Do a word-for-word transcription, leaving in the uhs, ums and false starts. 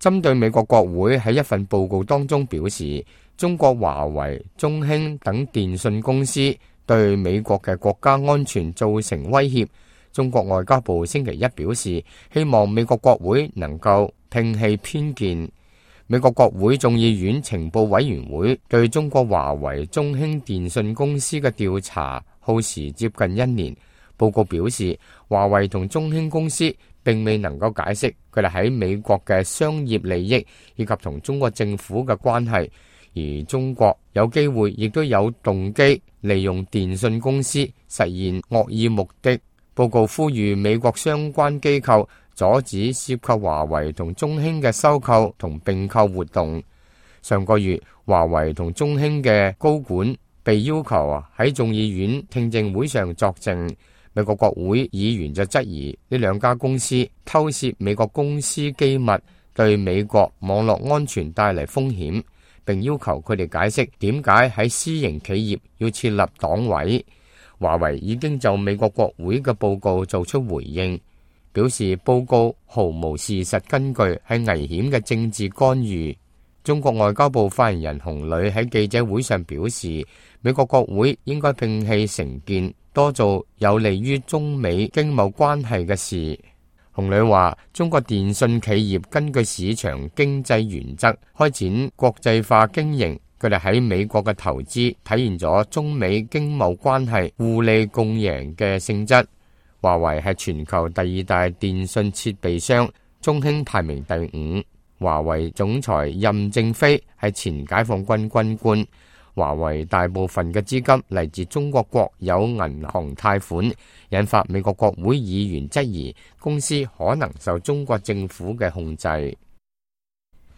針對美國國會喺一份報告當中表示，中國華為、中興等電信公司對美國嘅國家安全造成威脅，中國外交部星期一表示，希望美國國會能夠摒棄偏見。美國國會眾議院情報委員會對中國華為、中興電信公司嘅調查耗時接近一年。報告表示，華為同中興公司並未能夠解釋佢哋喺美國嘅商業利益以及同中國政府嘅關係，而中國有機會亦都有動機利用電信公司實現惡意目的。報告呼籲美國相關機構阻止涉及華為同中興嘅收購同併購活動。上個月，華為同中興嘅高管被要求啊喺眾議院聽證會上作證。美國國會議員就質疑呢兩家公司偷竊美國公司機密，對美國網絡安全帶嚟風險，並要求佢哋解釋點解喺私營企業要設立黨委。華為已經就美國國會嘅報告做出回應，表示報告毫無事實根據，係危險嘅政治干預。中國外交部發言人洪磊喺記者會上表示，美國國會應該摒棄成見，多做有利於中美經貿關係嘅事。洪磊話，中國電信企業根據市場經濟原則開展國際化經營，佢哋喺美國嘅投資體現咗中美經貿關係互利共贏嘅性質。華為係全球第二大電信設備商，中興排名第五。華為總裁任正非係前解放軍軍官。華為大部分嘅資金嚟自中國國有銀行貸款，引發美國國會議員質疑公司可能受中國政府嘅控制。